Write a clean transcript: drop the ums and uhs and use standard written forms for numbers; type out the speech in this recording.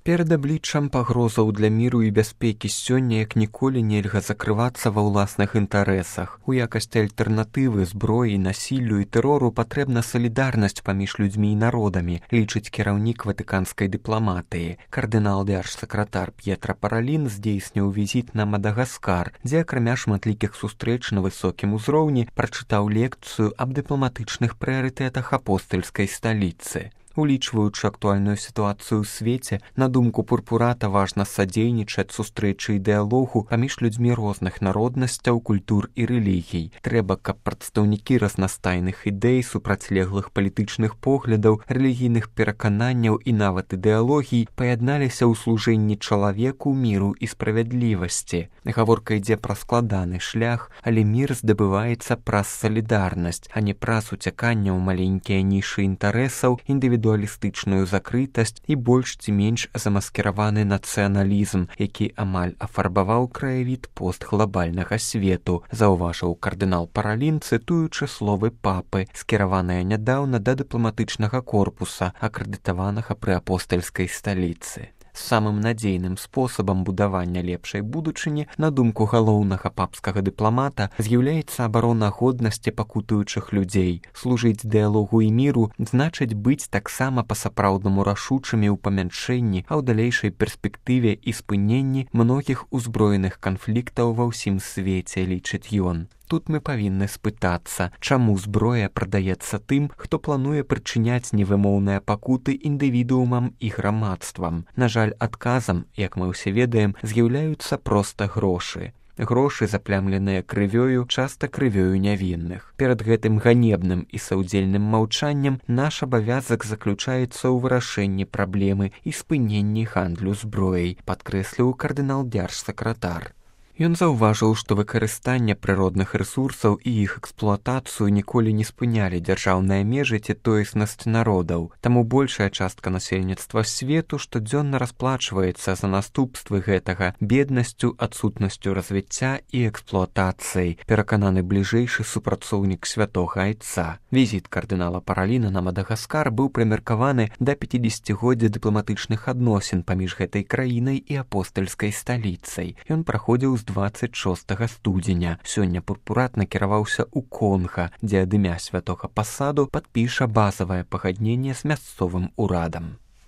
Перад абліччам пагрозаў для міру і бяспекі сёння як ніколі нельга закрывацца ва ўласных інтарэсах. У якасці альтэрнатывы зброі, насіллю і тэрору патрэбна салідарнасць паміж людзьмі і народамі, лічыць кіраўнік ватыканскай дыпламатыі. Кардынал дзяржсакратар П'етра Паралін здзейсніў візіт на Мадагаскар, дзе акрамя шматлікіх сустрэч на высокім узроўні прачытаў лекцыю аб дыпламатычных прыярытэтах апостальскай сталіцы. Улічваючы актуальную сітуацыю ў свеце, на думку Пурпурата важна садзейнічаць сустрэчы і дыялогу паміж людзьмі розных народнасцяў, культур і рэлігій. Трэба, каб прадстаўнікі разнастайных ідэй, супрацьлеглых палітычных поглядаў, рэлігійных перакананняў і нават ідэалогій паядналіся ў служэнні чалавеку, міру і справядлівасці. Гаворка ідзе пра складаны шлях, але мір здабываецца праз салідарнасць, а не праз уцяканне ў маленькія нішы інтарэсаў, індывідуалістычную закрытасць і больш ці менш замаскіраваны нацыяналізм, які амаль афарбаваў краявід постглабальнага свету, заўважыў кардынал Паралін, цытуючы словы папы, скіраваныя нядаўна да дыпламатычнага корпуса, акрэдытаванага пры апостальскай сталіцы. Самым надзейным спосабам будавання лепшай будучыні, на думку галоўнага папскага дыпламата, з'яўляецца абарона годнасці пакутуючых людзей. Служыць дыялогу і міру значыць быць таксама па-сапраўднаму рашучымі ў памяншэнні, а ў далейшай перспектыве і спыненні многіх узброеных канфліктаў ва ўсім свеце, лічыць ён. Тут мы павінны спытацца, чаму зброя прадаецца тым, хто плануе прычыняць невымоўныя пакуты індывідуумам і грамадствам. На жаль, адказам, як мы ўсе ведаем, з'яўляюцца проста грошы. Грошы, заплямленыя крывёю, часта крывёю нявінных. Перад гэтым ганебным і саўдзельным маўчаннем наш абавязак заключаецца ў вырашэнні праблемы і спыненні гандлю зброяй, падкрэсліў кардынал дзяржсакратар. Ён заўважыў, што выкарыстанне прыродных рэсурсаў і іх эксплуатацыю ніколі не спынялі дзяржаўныя межы ці тоеснасць народаў. Таму большая частка насельніцтва свету штодзённа расплачваецца за наступствы гэтага беднасцю, адсутнасцю развіцця і эксплуатацыяй, перакананы бліжэйшы супрацоўнік святога айца. Візіт кардынала Параліна на Мадагаскар быў прымеркаваны да 50-годдзя дыпламатычных адносін паміж гэтай краінай і апостальскай сталіцай. Ён праходзіў з 26 студзеня. Сёння Пурпурат накіраваўся ў Конга, дзе ад імя святога пасаду падпіша базавае пагадненне з мясцовым урадам.